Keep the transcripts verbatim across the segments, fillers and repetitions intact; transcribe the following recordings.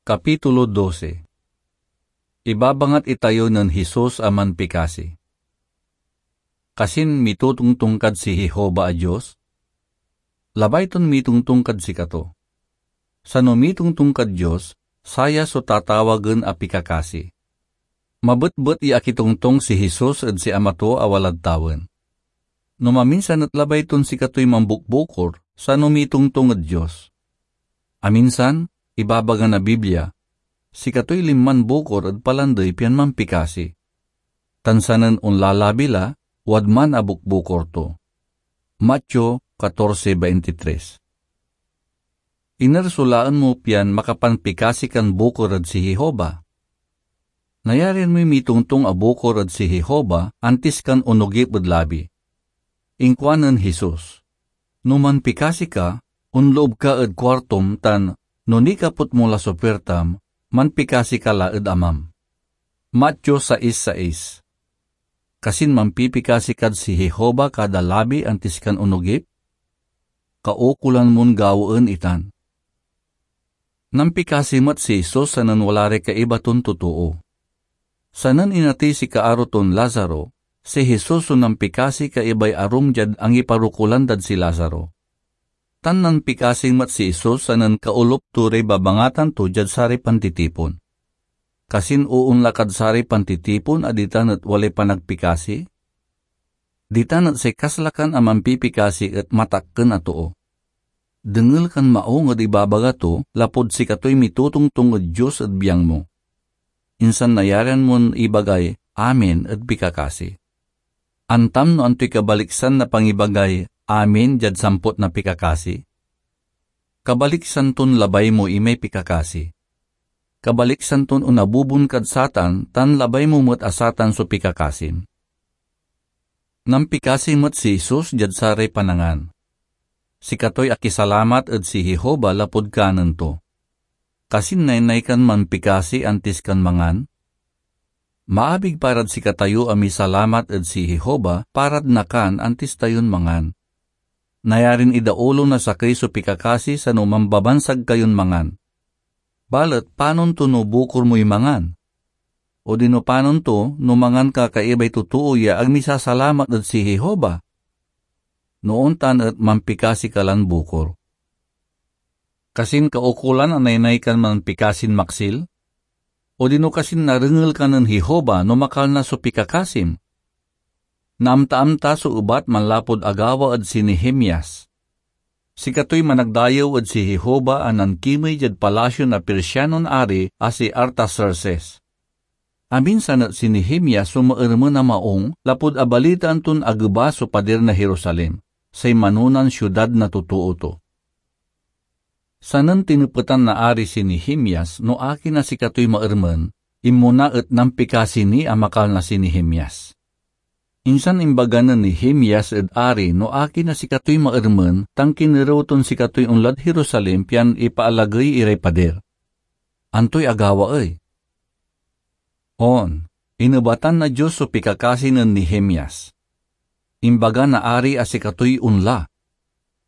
Kapitulo dose. Ibabangat itayo nen Jesus a manpikasi. Kasin mitotongtong kad si Jehovah a Dios? Labay ton mitongtong kad sikato. Sano mitongtong kad Dios, saya so tatawagen a pikakasi. Mabetbet ya akitongtong si Jesus ed si Ama to a walad tawen. No maminsan et labay ton sikatoy mambukbukor, sano mitongtong ed Dios. Aminsan, ibabaga na Biblia, sikatoy linman bukor ed palandey pian mampikasi. Tan sanen onlalabi la, wadman a bukbukor to. Mateo catorce veintitrés. Iner so laen mo pian makapanpikasi kan bukor ed si Jehovah? Nayarian moy mitongtong a bukor ed si Jehovah antis kan onogip ed labi. Inkuanen Jesus, "No manpikasi ka, onloob ka ed kuartom tan no nikapot mo la so puirtam, manpikasi ka la ed Amam." Mateo sais sais. Kasin manpipikasi kad si Jehovah kada labi antis kan onogip? Kaukolan mon gawaen itan. Nampikasi met si Jesus sanen wala ray kaiba ton totoo. Sanen inatey si kaaro ton Lazaro, si Jesus so nampikasi kaibay arum diad angiparokulan dad si Lazaro. Tan nampikasi met si Jesus sanen kaolop to ray babangatan to diad saray pantitipon. Kasin oonla kad saray pantitipon a ditan et walay panagpikasi? Ditan et say kaslakan a mampipikasi et matakken a too. Dengel kan maong ed ibabaga to lapud sikatoy mitotongtong ed Dios ed biang mo. Insan nayarian mon ibagay "Amen" ed pikakasi. Antam no antoy kabaliksan na pangibagay "Amen" diad sampot na pikakasi? Kabaliksan ton labay mo imay pikakasi. Kabaliksan ton onabubon kad satan tan labay mo met a satan so pikakasim. Nampikasi met si Jesus diad saray panangan. Sikatoy akisalamat ed si Jehovah lapud kanen to. Kasin naynay kan manpikasi antis kan mangan? Maabig parad sikatayo a misalamat ed si Jehovah parad nakan antis tayon mangan. Nayarin idaulo na sakey so pikakasi sano mambabansag kayon mangan. Balet panon to no bukor moy mangan? Odino panon to no mangan ka kaibay totoo ya ag misasalamat ed si Jehovah? No ontan et mampikasi ka lan bukor. Kasin kaukolan a naynay kan manpikasin maksil? Odino kasin narengel ka nen Jehovah no makalna so pikakasim? Naamtaam ta so ebat manlapud agawa ed si Nehemias. Sikatoy managdayew ed si Jehovah a nankimey diad palasio na Persianon ari a si Artaxerxes. Aminsan et si Nehemias so maermen a maong lapud abalitaan ton ageba so padir na Jerusalem, say manonan siudad na totoo to. Sanen tinepetan na ari si Nehemias no akin a sikatoy maermen, inmona et nampikasi ni a makalna si Nehemias. Insan imbaga nen Nehemias ed ari no akin a sikatoy maermen tan kinerew ton sikatoy onlad Jerusalem pian ipaalagey iray padir. Antoy agawa ey? On, inebatan na Dios so pikakasi nen Nehemias. Imbaga na ari a sikatoy onla.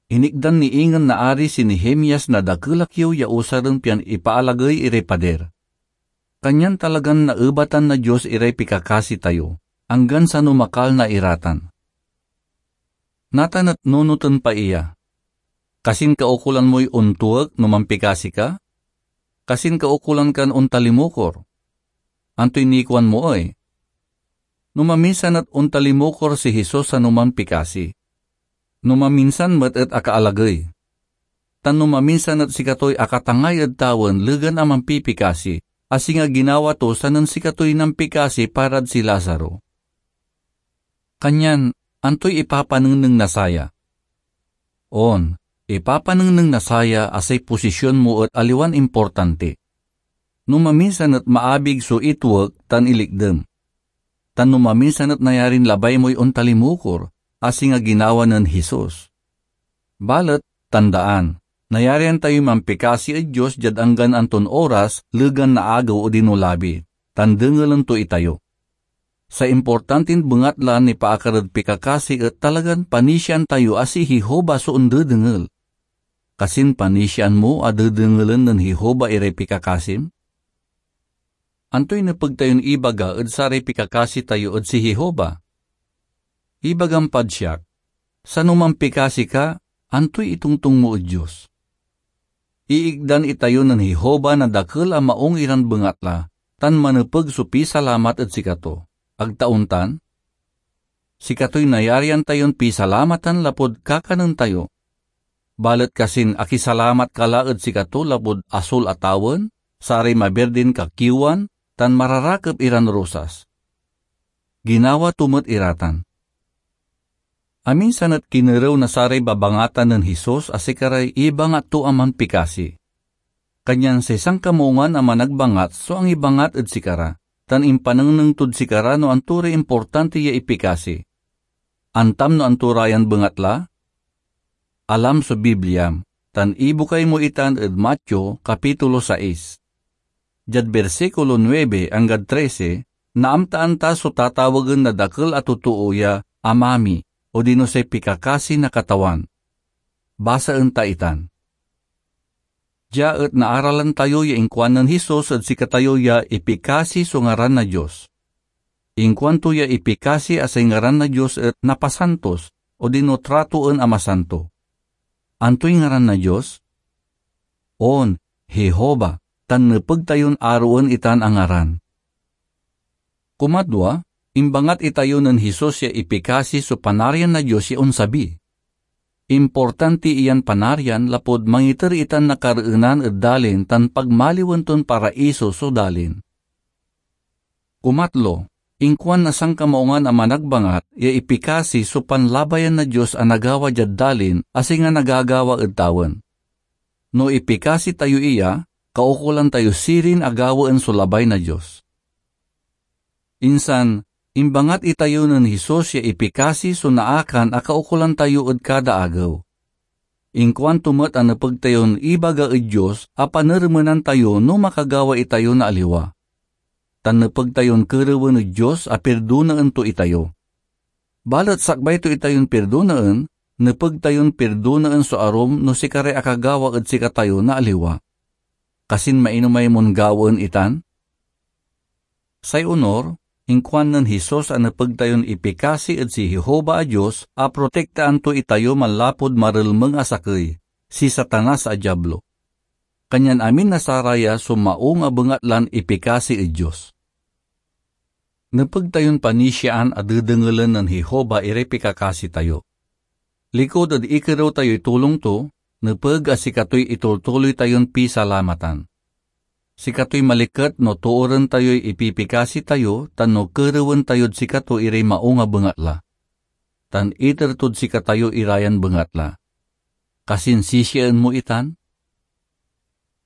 Inikdan ni ingen na ari si Nehemias na dakel a kiew ya usaren pian ipaalagey iray padir. Kanyan talagan naebatan na Dios iray pikakasi tayo, anggan sano makalna ira tan. Natan et nunoten pa iya, kasin kaukolan moy ontuek no mampikasi ka? Kasin kaukolan kan ontalimukor? Antoy nikuan mo ey? No maminsan et ontalimukor si Jesus sano mampikasi. No maminsan met et akaalagey. Tan no maminsan et sikatoy akatangay ed tawen legan a mampipikasi, a singa ginawa to sanen sikatoy nampikasi parad si Lazaro. Kanyan, antoy ipapanengneng na saya? On, ipapanengneng na saya a say posisyon mo et aliwan importanti. No maminsan et maabig so ituek tan ilikdem. Tan no maminsan et nayarin labay moy ontalimukor, a singa ginawa nen Jesus. Balet, tandaan, nayarian tayoy mampikasi ed Dios diad anggan anton oras, legan na agew odino labi, tan dengelen to itayo. Say importantin bengat la nipaakar ed pikakasi et talagan panisiaan tayo a si Jehovah so ondedengel. kasin panisiaan mo a dedengelen nen Jehovah iray pikakasim? Antoy nepeg tayon ibaga ed saray pikakasi tayo ed si Jehovah? Ibagam pad siak, sano manpikasi ka, antoy itongtong mo ed Dios? Iikdan itayo nen Jehovah na dakel a maung iran bengatla, tan manepeg so pisalamat ed sikato. Ag ta ontan? Sikatoy nayarian tayon pisalamatan lapud kakanen tayo. Balet kasin akisalamat ka la ed sikato lapud asul a tawen, saray mabirdin kakiwan, tan mararakep iran rosas. Ginawa to met ira tan. Aminsan et kinerew na saray babangatan nen Jesus a sikaray ibangat to a manpikasi. Kanyan say Sankamoongan a Managbangat so angibangat ed sikara, tan impanengneng tod sikara no anto ray importanti ya ipikasi. Antam no anto ra yan bengatla? Alam so Bibliam, tan ibukay mo itan ed Mateo, Kapitulo sais. Diad bersikulo nuebe anggad trese, naamtaan ta so tatawagen na dakel a totoo ya Ama mi, odino say pikakasi na Katawan. Basaen ta itan. Dia et naaralan tayo ya inkuan nen Jesus ed sikatayo ya ipikasi so ngaran na Dios. Inkuanto ya ipikasi a say ngaran na Dios et napasantos, odino tratoen a masanto. Antoy ngaran na Dios? On, Jehovah, tan nepeg tayon aroen itan a ngaran. Kumadwa, imbangat itayo nen Jesus ya ipikasi so Panarian na Dios ya onsabi. Importanti iyan Panarian lapud mangiter itan na kareenan ed dalin tan pagmaliwen ton paraiso so dalin. Kumatlo, inkuan na Sankamoongan a Managbangat ya ipikasi so panlabayan na Dios a nagawa diad dalin a singa nagagawa ed tawen. No ipikasi tayo iya, kaukolan tayo sirin a gawaen so labay na Dios. Insan, imbangat itayo nen Jesus ya ipikasi so naakan a kaukolan tayo ed kada agew. Inkuanto met a nepeg tayon ibaga ed Dios a panermenan tayo no makagawa itayo na aliwa. Tan nepeg tayon kerewen ed Dios a pirdonaen to itayo. Balet sakbay to itayon pirdonaen, nepeg tayon pirdonaen so arum no sikaray akagawa ed sikatayo na aliwa. Kasin mainomay mon gawaen itan? Say onor, inkuan nen Jesus a nepeg tayon ipikasi ed si Jehovah a Dios a protektaan to itayo manlapud marelmeng a sakey, si Satanas a Diablo. Kanyan amin na saraya so maung a bengatlan ipikasi ed Dios. Nepeg tayon panisiaan a dedengelen nen Jehovah iray pikakasi tayo. Likud ed ikerew tayoy tulong to, nepeg a sikatoy itultuloy tayon pisalamatan. Sikatoy maliket no tooren tayoy ipipikasi tayo tan no kerewen tayod sikato iray maung a bengatla, tan iter tod sikatayo ira yan bengatla. Kasin sisiaen mo itan?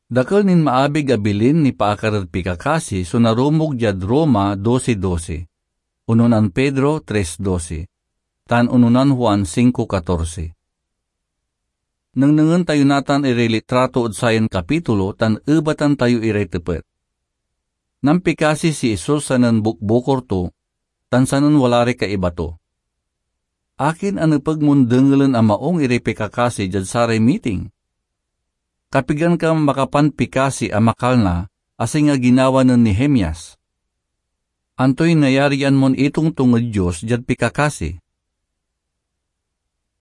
Dakel nin maabig a bilin nipaakar ed pikakasi so narumog diad Roma doce doce, ononan Pedro tres doce, tan ononan Juan cinco catorce. Nengnengen tayo natan iray litrato ed sayan kapitulo tan ebatan tayo iray tepet. Nampikasi si Jesus sanen bukbukor to, tan sanen wala ray kaiba to. Akin a nepeg mon dengelen a maung iray pikakasi diad saray miting? Kapigan ka makapanpikasi a makalna a singa ginawa nen Nehemias? Antoy nayarian mon itongtong ed Dios diad pikakasi?